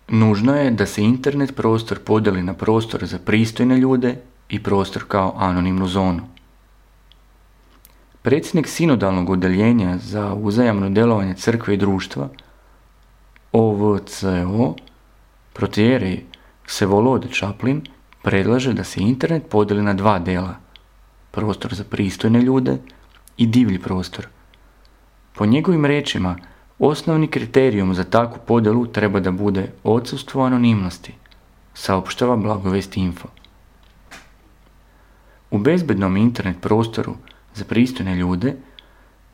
Nužno je da se internet prostor podijeli na prostor za pristojne ljude i prostor kao anonimnu zonu. Predsjednik sinodalnog odjeljenja za uzajamno djelovanje crkve i društva, OVCO, protijerej Vsevolod Čaplin, predlaže da se internet podijeli na dva dela, prostor za pristojne ljude i divlji prostor. Po njegovim riječima, osnovni kriterijum za takvu podjelu treba da bude odsustvo anonimnosti, saopštava Blagovest Info. U bezbednom internet prostoru za pristojne ljude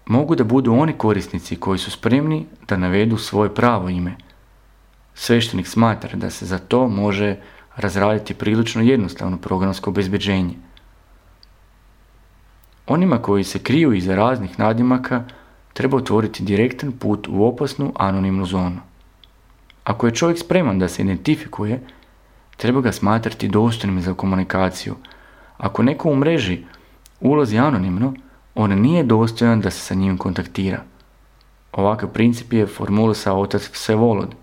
mogu da budu oni korisnici koji su spremni da navedu svoje pravo ime. Sveštenik smatra da se za to može razraditi prilično jednostavno programsko obezbeđenje. Onima koji se kriju iza raznih nadimaka treba otvoriti direktan put u opasnu anonimnu zonu. Ako je čovjek spreman da se identifikuje, treba ga smatrati dostojnim za komunikaciju. Ako neko u mreži ulazi anonimno, on nije dostojan da se sa njim kontaktira. Ovakav princip je formulisao otac Vsevolod,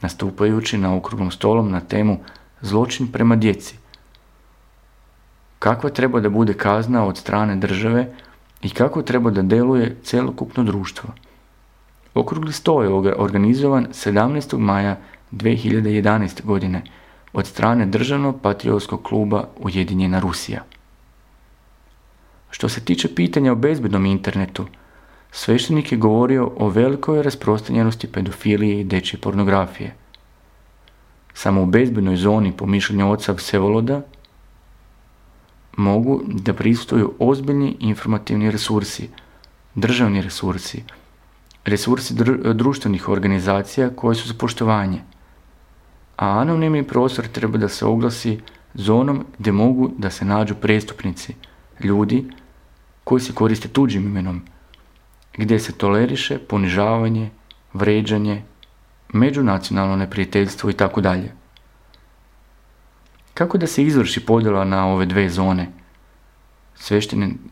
nastupajući na okruglom stolom na temu zločin prema djeci. Kakva treba da bude kazna od strane države i kako treba da deluje cjelokupno društvo. Okrugli sto je organizovan 17. maja 2011. godine od strane Državnog patriotskog kluba Ujedinjena Rusija. Što se tiče pitanja o bezbednom internetu, sveštenik je govorio o velikoj rasprostranjenosti pedofilije i dečje pornografije. Samo u bezbednoj zoni, po mišljenju oca Vsevoloda, mogu da pristuju ozbiljni informativni resursi, državni resursi, resursi društvenih organizacija koje su za poštovanje, a anonimni prostor treba da se oglasi zonom gdje mogu da se nađu prestupnici, ljudi koji se koriste tuđim imenom, gdje se toleriše ponižavanje, vređanje, međunacionalno neprijateljstvo itd. Kako da se izvrši podjela na ove dve zone?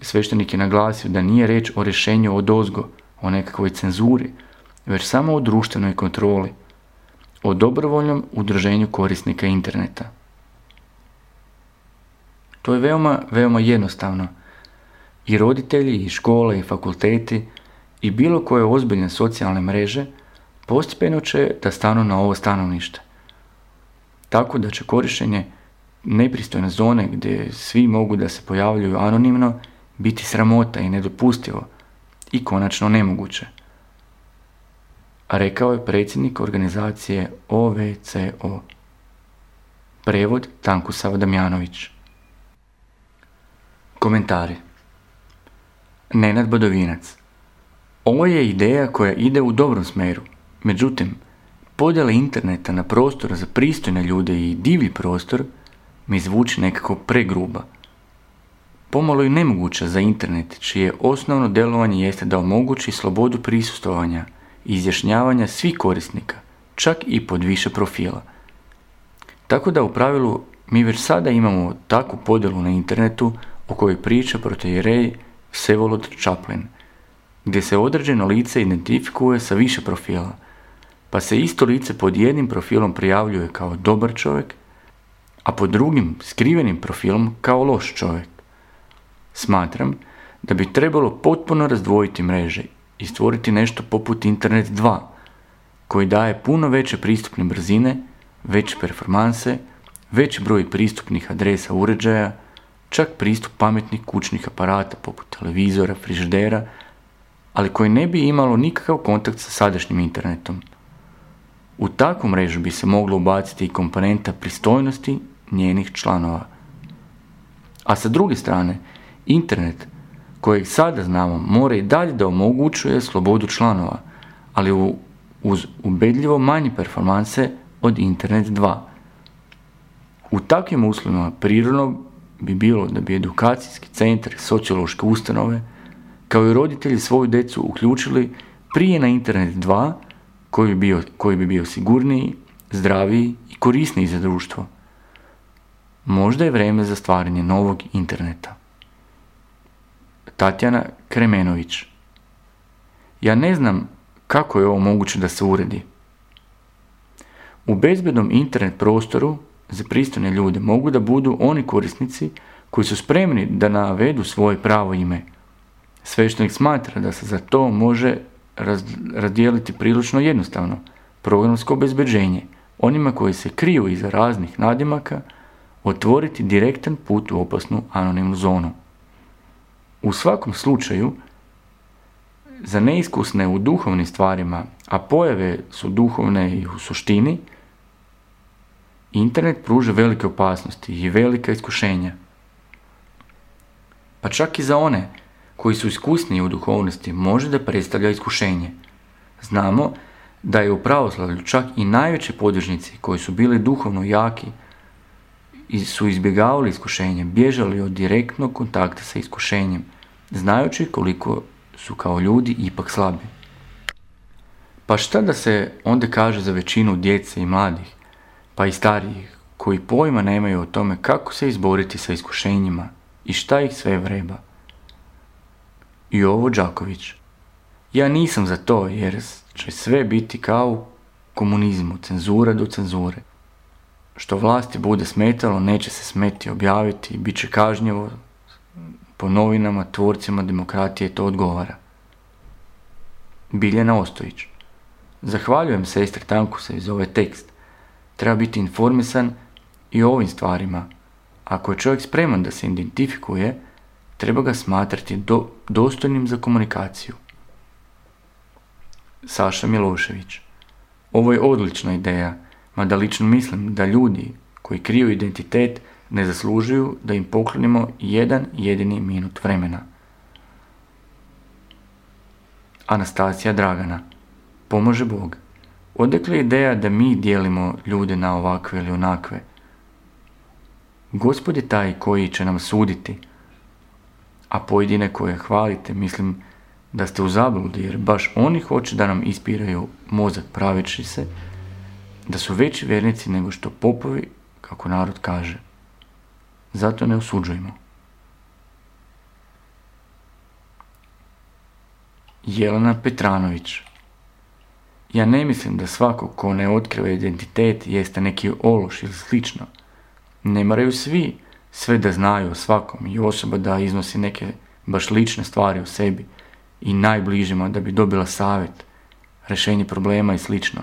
Sveštenik je naglasio da nije reč o rješenju odozgo, o nekakvoj cenzuri, već samo o društvenoj kontroli, o dobrovoljnom udruženju korisnika interneta. To je veoma jednostavno. I roditelji, i škole, i fakulteti, i bilo koje ozbiljne socijalne mreže postepeno će da stanu na ovo stanovište. Tako da će korištenje nepristojne zone gdje svi mogu da se pojavljuju anonimno biti sramota i nedopustivo i konačno nemoguće. A rekao je predsjednik organizacije OVCO. Prevod Tankusav Damjanović. Komentari. Nenad Badovinac. Ovo je ideja koja ide u dobrom smjeru. Međutim, podjela interneta na prostor za pristojne ljude i divlji prostor mi zvuči nekako pregruba. Pomalo je nemoguće za internet, čije osnovno djelovanje jeste da omogući slobodu prisustvovanja i izjašnjavanja svih korisnika, čak i pod više profila. Tako da u pravilu mi već sada imamo takvu podjelu na internetu o kojoj priča protijerej Vsevolod Čaplin, gdje se određeno lice identifikuje sa više profila, pa se isto lice pod jednim profilom prijavljuje kao dobar čovjek, a pod drugim skrivenim profilom kao loš čovjek. Smatram da bi trebalo potpuno razdvojiti mreže i stvoriti nešto poput Internet 2, koji daje puno veće pristupne brzine, veće performanse, veći broj pristupnih adresa uređaja, čak pristup pametnih kućnih aparata poput televizora, frižidera, ali koji ne bi imalo nikakav kontakt sa sadašnjim internetom. U takvu mrežu bi se moglo ubaciti i komponenta pristojnosti njenih članova. A sa druge strane, internet, kojeg sada znamo, mora i dalje da omogućuje slobodu članova, ali uz ubedljivo manje performanse od Internet 2. U takvim uslovima prirodno bi bilo da bi edukacijski centar, sociološke ustanove, kao i roditelji svoju djecu uključili prije na Internet 2, koji bi bio sigurniji, zdraviji i korisniji za društvo. Možda je vrijeme za stvaranje novog interneta. Tatjana Kremenović. Ja ne znam kako je ovo moguće da se uredi. U bezbednom internet prostoru za pristojne ljude mogu da budu oni korisnici koji su spremni da navedu svoje pravo ime. Sveštenik smatra da se za to može razdijeliti prilično jednostavno. Programsko obezbeđenje, onima koji se kriju iza raznih nadimaka, otvoriti direktan put u opasnu anonimnu zonu. U svakom slučaju, za neiskusne u duhovnim stvarima, a pojave su duhovne i u suštini, internet pruža velike opasnosti i velika iskušenja. Pa čak i za one koji su iskusniji u duhovnosti može da predstavlja iskušenje. Znamo da je u pravoslavlju čak i najveći podvižnici koji su bili duhovno jaki i su izbjegavali iskušenje, bježali od direktnog kontakta sa iskušenjem, znajući koliko su kao ljudi ipak slabi. Pa šta da se onda kaže za većinu djece i mladih, pa i starijih, koji pojma nemaju o tome kako se izboriti sa iskušenjima i šta ih sve vreba? Jovo Đaković: ja nisam za to jer će sve biti kao u komunizmu, cenzura do cenzure. Što vlasti bude smetalo, neće se smeti objaviti, bit će kažnjivo, po novinama, tvorcima demokratije to odgovara. Biljana Ostojić: zahvaljujem sestri Tankusaj za ovaj tekst. Treba biti informisan i o ovim stvarima. Ako je čovjek spreman da se identifikuje, treba ga smatrati dostojnim za komunikaciju. Saša Milošević: ovo je odlična ideja, mada lično mislim da ljudi koji kriju identitet ne zaslužuju da im poklonimo jedan jedini minut vremena. Anastasija Dragana: pomože Bog. Odakle ideja da mi dijelimo ljude na ovakve ili onakve? Gospod je taj koji će nam suditi, a pojedine koje hvalite, mislim da ste u zabludi, jer baš oni hoće da nam ispiraju mozak praveći se da su veći vjernici nego što popovi, kako narod kaže. Zato ne osuđujmo. Jelena Petranović: ja ne mislim da svako ko ne otkriva identitet jeste neki ološ ili slično. Ne moraju svi sve da znaju o svakom i osoba da iznosi neke baš lične stvari o sebi i najbližima da bi dobila savjet, rješenje problema i slično.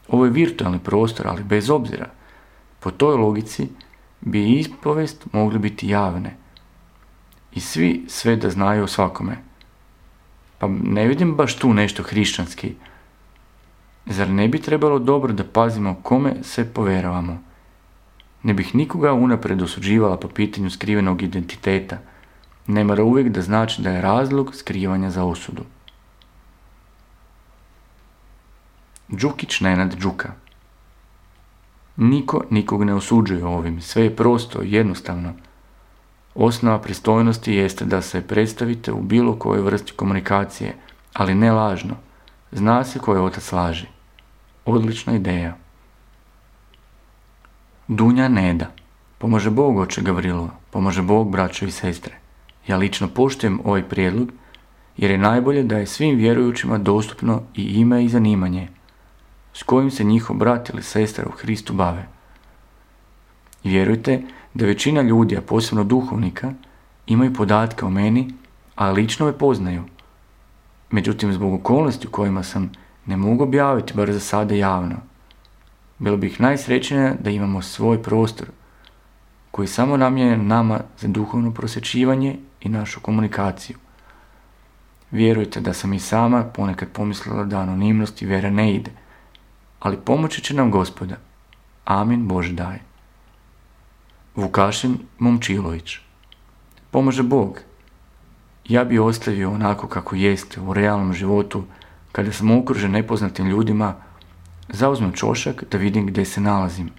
Ovo je virtualni prostor, ali bez obzira, po toj logici bi ispovest mogli biti javne i svi sve da znaju o svakome. Pa ne vidim baš tu nešto hrišćanski. Zar ne bi trebalo dobro da pazimo kome se poveravamo? Ne bih nikoga unaprijed osuđivala po pitanju skrivenog identiteta. Ne mora uvijek da znači da je razlog skrivanja za osudu. Đukić Nenad Đuka: niko nikog ne osuđuje ovim, sve je prosto i jednostavno. Osnova pristojnosti jeste da se predstavite u bilo kojoj vrsti komunikacije, ali ne lažno. Zna se koji otac laži. Odlična ideja. Dunja Neda: pomože Bog, oče Gavrilo, pomože Bog, braćo i sestre. Ja lično poštujem ovaj prijedlog jer je najbolje da je svim vjerujućima dostupno i ime i zanimanje s kojim se njihov brat ili sestra u Hristu bave. Vjerujte da većina ljudi, a posebno duhovnika, imaju podatke o meni, a lično me poznaju. Međutim, zbog okolnosti u kojima sam, ne mogu objaviti, bar za sada javno. Bilo bih najsrećnija da imamo svoj prostor, koji je samo namijenjen nama za duhovno prosvjećivanje i našu komunikaciju. Vjerujte da sam i sama ponekad pomislila da anonimnost i vjera ne ide, ali pomoći će nam Gospoda. Amin Bože daj. Vukašin Momčilović: pomože Bog. Ja bi ostavio onako kako jeste u realnom životu, kada sam okružen nepoznatim ljudima, zauzmem čošak da vidim gdje se nalazim.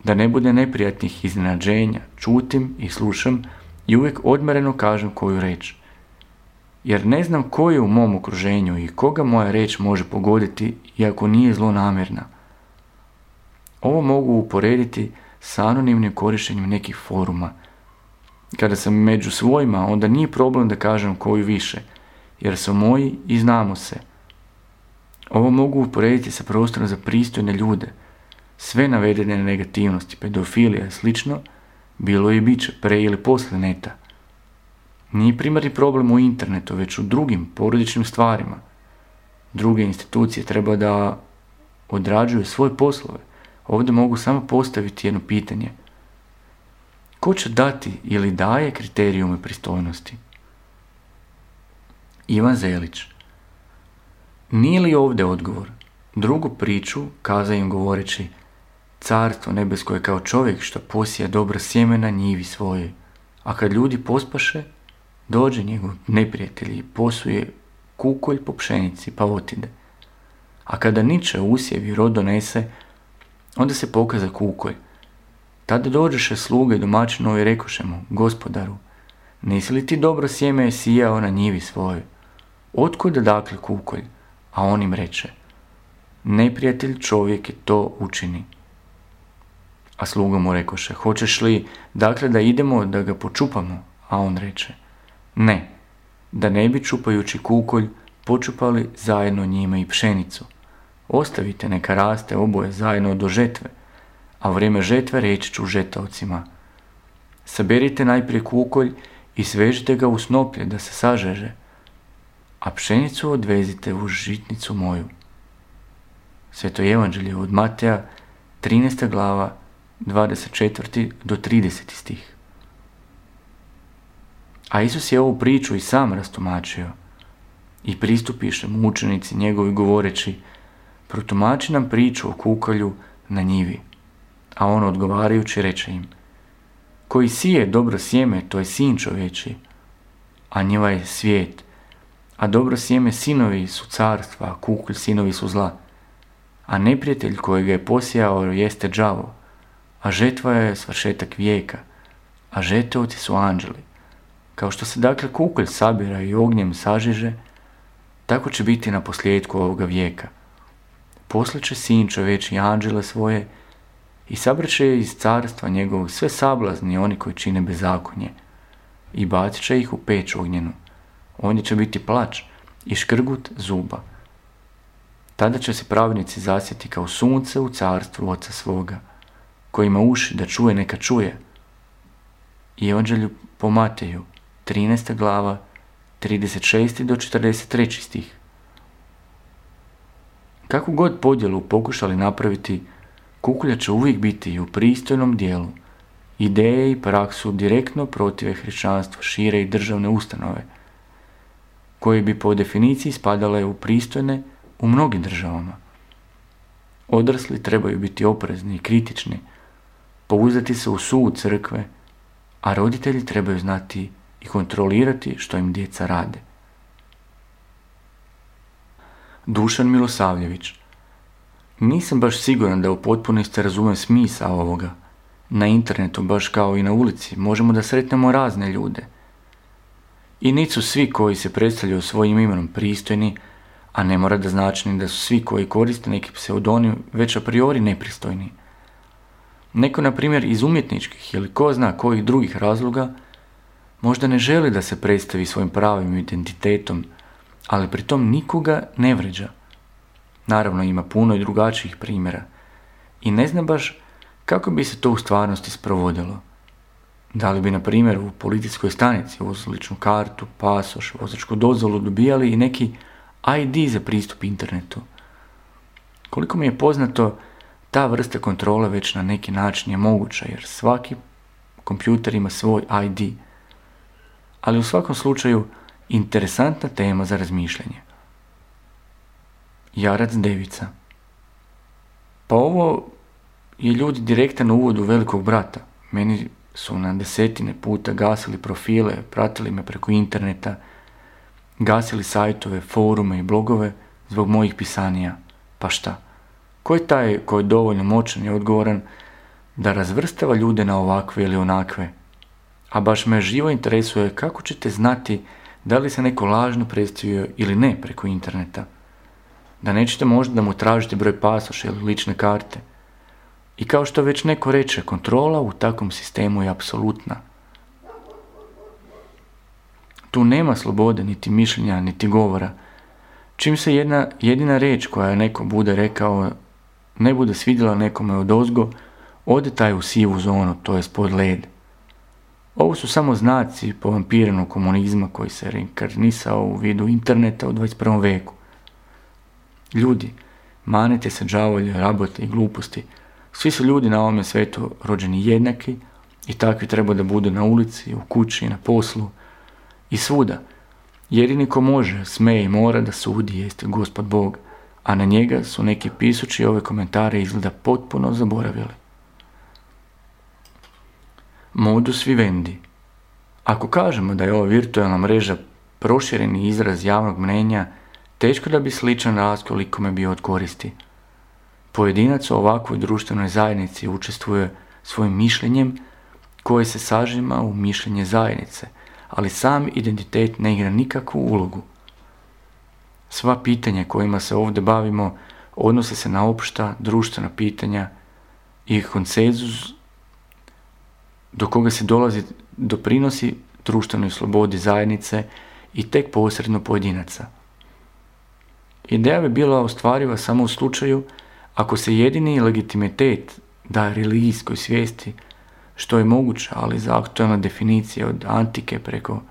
Da ne bude neprijatnih iznenađenja, čutim i slušam i uvijek odmjereno kažem koju reč. Jer ne znam ko je u mom okruženju i koga moja reč može pogoditi, iako nije zlonamjerna. Ovo mogu uporediti sa anonimnim korištenjem nekih foruma. Kada sam među svojima, onda nije problem da kažem koju više, jer su moji i znamo se. Ovo mogu uporediti sa prostorom za pristojne ljude. Sve navedene negativnosti, pedofilija i slično, bilo je i bit će pre ili poslije neta. Nije primarni problem u internetu, već u drugim porodičnim stvarima. Druge institucije treba da odrađuju svoje poslove. Ovdje mogu samo postaviti jedno pitanje. Ko će dati ili daje kriterijume pristojnosti? Ivan Zelić. Nije li ovdje odgovor? Drugu priču kaza im govoreći: Carstvo nebesko je kao čovjek što posija dobro sjeme na njivi svojoj, a kad ljudi pospaše, dođe njegov neprijatelj i posuje kukolj po pšenici pa otide. A kada niče usjev i rod donese, onda se pokaza kukolj. Tada dođeše sluge domaćinovi i rekoše mu: Gospodaru, nisi li ti dobro sjeme sijao na njivi svojoj? Otkuda dakle kukolj? A on im reče: Neprijatelj čovjek je to učini. A sluga mu rekoše: Hoćeš li dakle da idemo da ga počupamo? A on reče: Ne, da ne bi čupajući kukolj počupali zajedno njime i pšenicu. Ostavite neka raste oboje zajedno do žetve, a u vrijeme žetve reći ću žetaocima: Saberite najprije kukolj i svežite ga u snoplje da se sažeže, a pšenicu odvezite u žitnicu moju. Sveto evanđelje od Mateja, 13. glava, 24. do 30. stih. A Isus je ovu priču i sam rastumačio. I pristupiše mu učenici njegovi govoreći: Protumači nam priču o kukolju na njivi. A on odgovarajući reče im: Koji sije dobro sjeme, to je sin čovječiji, a njiva je svijet. A dobro sjeme sinovi su carstva, a kukolj sinovi su zla. A neprijatelj kojega je posijao jeste đavo, a žetva je svršetak vijeka, a žeteoci su anđeli. Kao što se dakle kukolj sabira i ognjem sažiže, tako će biti na posljedku ovoga vijeka. Poslije će sin čovječji anđele svoje i sabraće iz carstva njegovog sve sablazni oni koji čine bezakonje i bacit će ih u peć ognjenu. Ondje će biti plač i škrgut zuba. Tada će se pravednici zasjeti kao sunce u carstvu Oca svoga. Ko ima uši da čuje, neka čuje. I Evanđelju po Mateju, 13. glava, 36. do 43. stih. Kakvu god podjelu pokušali napraviti, kukolja će uvijek biti u pristojnom dijelu. Ideje i praksu direktno protive hrišćanstvu šire i državne ustanove, koje bi po definiciji spadale u pristojne u mnogim državama. Odrasli trebaju biti oprezni i kritični, pouzdati se u sud crkve, a roditelji trebaju znati i kontrolirati što im djeca rade. Dušan Milosavljević. Nisam baš siguran da u potpunosti razumijem smisao ovoga. Na internetu, baš kao i na ulici, možemo da sretnemo razne ljude. I nisu svi koji se predstavljaju svojim imenom pristojni, a ne mora da znači da su svi koji koriste neki pseudonim već a priori nepristojni. Neko, na primjer, iz umjetničkih ili ko zna kojih drugih razloga, možda ne želi da se predstavi svojim pravim identitetom, ali pritom nikoga ne vređa. Naravno, ima puno i drugačijih primjera i ne zna baš kako bi se to u stvarnosti sprovodilo. Da li bi, na primjer, u policijskoj stanici uz ličnu kartu, pasoš, vozačku dozvolu dobijali i neki ID za pristup internetu? Koliko mi je poznato, ta vrsta kontrole već na neki način je moguća, jer svaki kompjuter ima svoj ID. Ali u svakom slučaju, interesantna tema za razmišljanje. Jarac Devica. Pa ovo je ljudi direktan uvod u Velikog brata. Meni su na desetine puta gasili profile, pratili me preko interneta, gasili sajtove, forume i blogove zbog mojih pisanija. Pa šta? Ko je taj koji je dovoljno moćan i odgovoran da razvrstava ljude na ovakve ili onakve? A baš me živo interesuje kako ćete znati da li se neko lažno predstavio ili ne preko interneta. Da nećete možda da mu tražite broj pasoša ili lične karte. I kao što već neko reče, kontrola u takvom sistemu je apsolutna. Tu nema slobode, niti mišljenja, niti govora. Čim se jedina riječ koja neko bude rekao ne bude svidjela nekome odozgo, ode taj u sivu zonu, to je pod led. Ovo su samo znaci povampiranog komunizma koji se reinkarnisao u vidu interneta u 21. veku. Ljudi, manite se đavolje, rabote i gluposti. Svi su ljudi na ovome svijetu rođeni jednaki i takvi treba da budu na ulici, u kući, na poslu i svuda. Jedini ko može, sme i mora da sudi jeste Gospod Bog, a na njega su neki pisući ove komentare izgleda potpuno zaboravili. Modus vivendi. Ako kažemo da je ova virtualna mreža prošireni izraz javnog mnenja, teško da bi sličan raskol ikome bio od koristi. Pojedinac u ovakvoj društvenoj zajednici učestvuje svojim mišljenjem koje se sažima u mišljenje zajednice, ali sam identitet ne igra nikakvu ulogu. Sva pitanja kojima se ovdje bavimo odnose se na opšta društvena pitanja i konsenzus do koga se doprinosi društvenoj slobodi zajednice i tek posredno pojedinaca. Ideja bi bila ostvariva samo u slučaju ako se jedini legitimitet daje religijskoj svijesti, što je moguće, ali za aktualna definicija od antike preko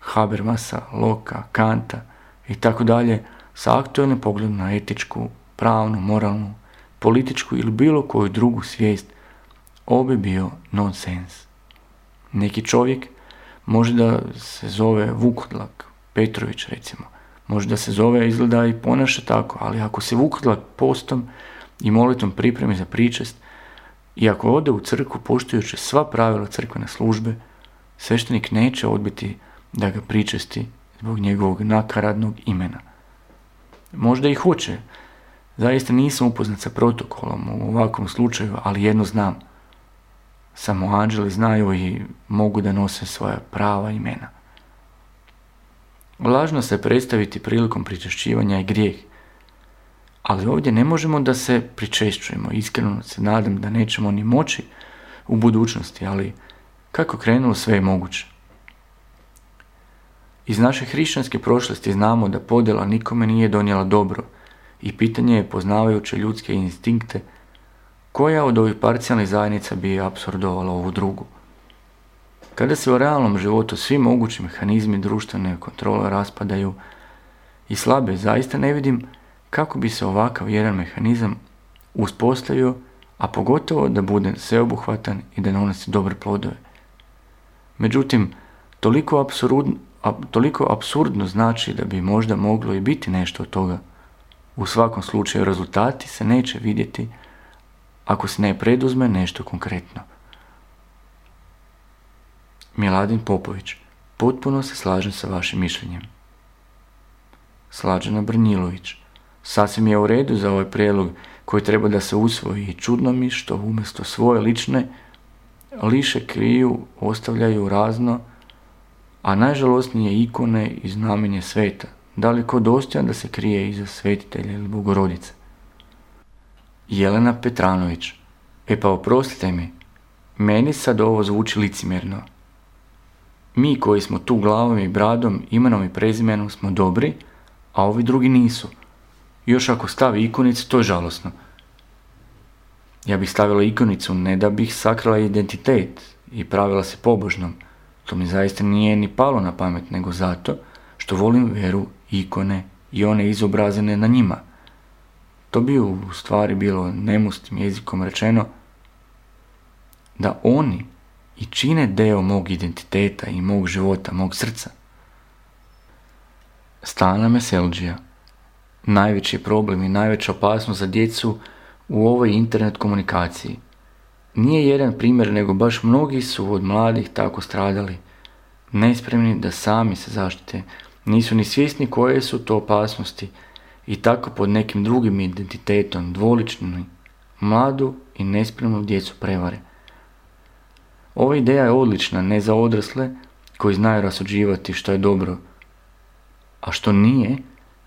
Habermasa, Loka, Kanta i tako dalje, sa aktualnim pogledom na etičku, pravnu, moralnu, političku ili bilo koju drugu svijest, ovo bi bio nonsens. Neki čovjek može da se zove Vukodlak, Petrović recimo, može da se zove, izgleda i ponaša tako, ali ako se Vukodlak postom i molitvom pripremi za pričest i ako ode u crkvu poštujući sva pravila crkvene službe, sveštenik neće odbiti da ga pričesti zbog njegovog nakaradnog imena. Možda i hoće. Zaista nisam upoznat sa protokolom u ovakvom slučaju, ali jedno znam. Samo anđeli znaju i mogu da nose svoja prava imena. Lažno se predstaviti prilikom pričešćivanja je grijeh, ali ovdje ne možemo da se pričešćujemo. Iskreno se nadam da nećemo ni moći u budućnosti, ali kako krenulo sve je moguće. Iz naše hrišćanske prošlosti znamo da podjela nikome nije donijela dobro i pitanje je, poznavajuće ljudske instinkte, koja od ovih parcijalnih zajednica bi apsordovala ovu drugu. Kada se u realnom životu svi mogući mehanizmi društvene kontrole raspadaju i slabe, zaista ne vidim kako bi se ovakav jedan mehanizam uspostavio, a pogotovo da bude sveobuhvatan i da donosi dobre plodove. Međutim, toliko apsurdno znači da bi možda moglo i biti nešto od toga. U svakom slučaju rezultati se neće vidjeti ako se ne preduzme nešto konkretno. Miladin Popović, potpuno se slažem sa vašim mišljenjem. Slađana Brnjilović, sasvim je u redu za ovaj prijedlog koji treba da se usvoji i čudno mi što umjesto svoje lične liše kriju, ostavljaju razno, a najžalosnije ikone i znamenje sveta. Da li ko dostojan da se krije iza svetitelja ili Bogorodice? Jelena Petranović, pa oprostite mi, meni sad ovo zvuči licemjerno. Mi koji smo tu glavom i bradom, imenom i prezimenom smo dobri, a ovi drugi nisu. Još ako stavi ikonicu, to je žalosno. Ja bih stavila ikonicu ne da bih sakrala identitet i pravila se pobožnom. To mi zaista nije ni palo na pamet, nego zato što volim vjeru, ikone i one izobrazene na njima. To bi u stvari bilo nemustim jezikom rečeno da oni i čine deo mog identiteta i mog života, mog srca. Stana Meselđija. Najveći problem i najveća opasnost za djecu u ovoj internet komunikaciji. Nije jedan primjer, nego baš mnogi su od mladih tako stradali, nespremni da sami se zaštite, nisu ni svjesni koje su to opasnosti i tako pod nekim drugim identitetom dvolični mladu i nespremnu djecu prevare. Ova ideja je odlična ne za odrasle koji znaju rasuđivati što je dobro, a što nije,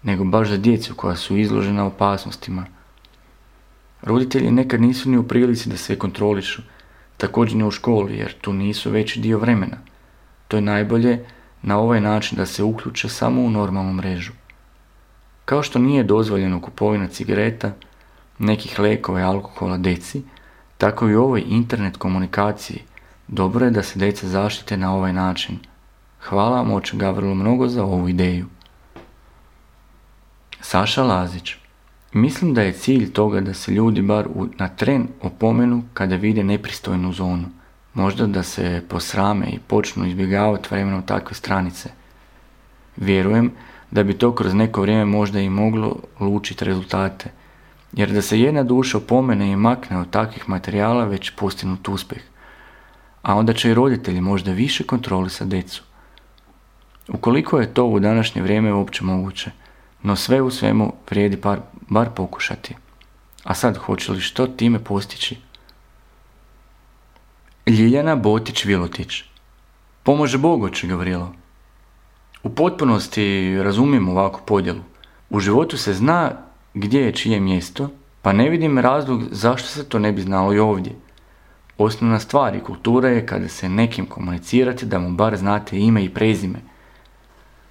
nego baš za djecu koja su izložena opasnostima. Roditelji nekad nisu ni u prilici da sve kontrolišu, također ni u školi, jer tu nisu veći dio vremena. To je najbolje na ovaj način da se uključe samo u normalnu mrežu. Kao što nije dozvoljeno kupovina cigareta, nekih lijekova i alkohola djeci, tako i u ovoj internet komunikaciji dobro je da se djeca zaštite na ovaj način. Hvala vam oče Gavrilo mnogo za ovu ideju. Saša Lazić. Mislim da je cilj toga da se ljudi bar na tren opomenu kada vide nepristojnu zonu. Možda da se posrame i počnu izbjegavati vremenom takve stranice. Vjerujem da bi to kroz neko vrijeme možda i moglo lučiti rezultate, jer da se jedna duša opomene i makne od takvih materijala već postignut uspjeh, a onda će i roditelji možda više kontrolisati djecu. Ukoliko je to u današnje vrijeme uopće moguće, no sve u svemu vrijedi bar pokušati. A sad, hoće li što time postići? Ljiljana Botić-Vilotić. Pomože Bog, oče Gavrilo. U potpunosti razumijem ovakvu podjelu. U životu se zna gdje je čije mjesto, pa ne vidim razlog zašto se to ne bi znalo i ovdje. Osnovna stvar i kultura je kada se nekim komunicirate da mu bar znate ime i prezime.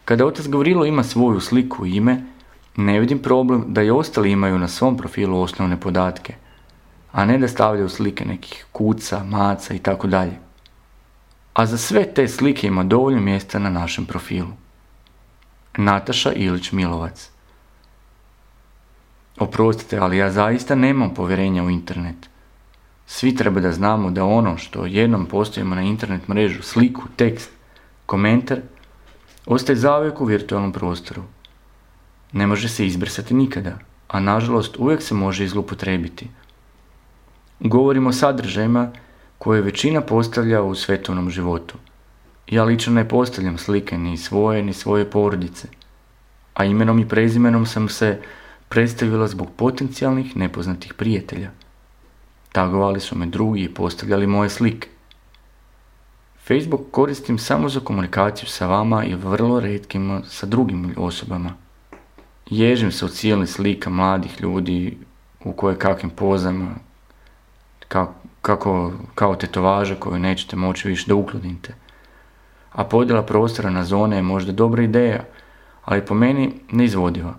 Kada otac Gavrilo ima svoju sliku i ime, ne vidim problem da i ostali imaju na svom profilu osnovne podatke, a ne da stavljaju slike nekih kuca, maca i tako dalje. A za sve te slike ima dovoljno mjesta na našem profilu. Nataša Ilić-Milovac. Oprostite, ali ja zaista nemam povjerenja u internet. Svi treba da znamo da ono što jednom postavimo na internet mrežu, sliku, tekst, komentar, ostaje zauvijek u virtualnom prostoru. Ne može se izbrisati nikada, a nažalost uvijek se može zloupotrijebiti. Govorimo o sadržajima koje većina postavlja u svetovnom životu. Ja lično ne postavljam slike ni svoje porodice, a imenom i prezimenom sam se predstavila zbog potencijalnih nepoznatih prijatelja. Tagovali su me drugi i postavljali moje slike. Facebook koristim samo za komunikaciju sa vama i vrlo retkim sa drugim osobama. Ježim se od silnih slika mladih ljudi u kakvim pozama, kao tetovaže koju nećete moći više da uklonite. A podjela prostora na zone je možda dobra ideja, ali po meni neizvodiva.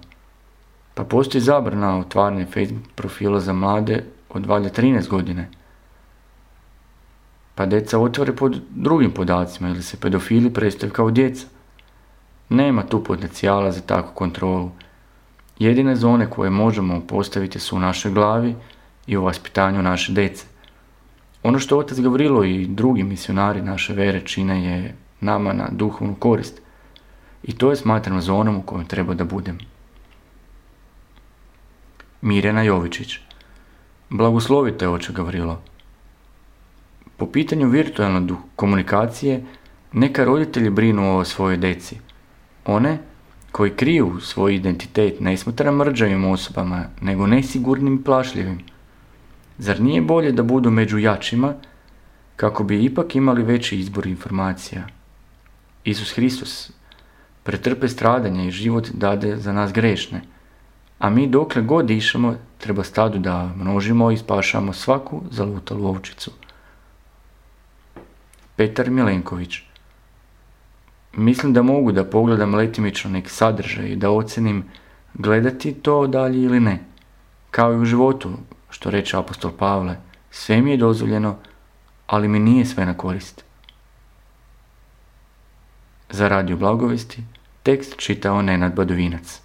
Pa postoji zabrana otvaranja Facebook profila za mlade od valjda 13 godine. Pa djeca otvore pod drugim podacima ili se pedofili predstavljaju kao djeca. Nema tu potencijala za takvu kontrolu. Jedine zone koje možemo postaviti su u našoj glavi i u vaspitanju naše djece. Ono što otac Gavrilo i drugi misionari naše vere čine je nama na duhovnu korist. I to je smatrano zonom u kojoj treba da budem. Mirjana Jovičić. Blagoslovite, oče Gavrilo. Po pitanju virtualne komunikacije, neka roditelji brinu o svojoj djeci. One koji kriju svoj identitet ne smatram mrđavim osobama, nego nesigurnim i plašljivim. Zar nije bolje da budu među jačima, kako bi ipak imali veći izbor informacija? Isus Hristos pretrpe stradanja i život dade za nas grešne, a mi dokle god dišemo treba stadu da množimo i spašamo svaku zalutalu ovčicu. Petar Milenković. Mislim da mogu da pogledam letimično neki sadržaj i da ocenim gledati to dalje ili ne. Kao i u životu, što reče apostol Pavle, sve mi je dozvoljeno, ali mi nije sve na korist. Za Radio Blagovesti tekst čitao Nenad Badovinac.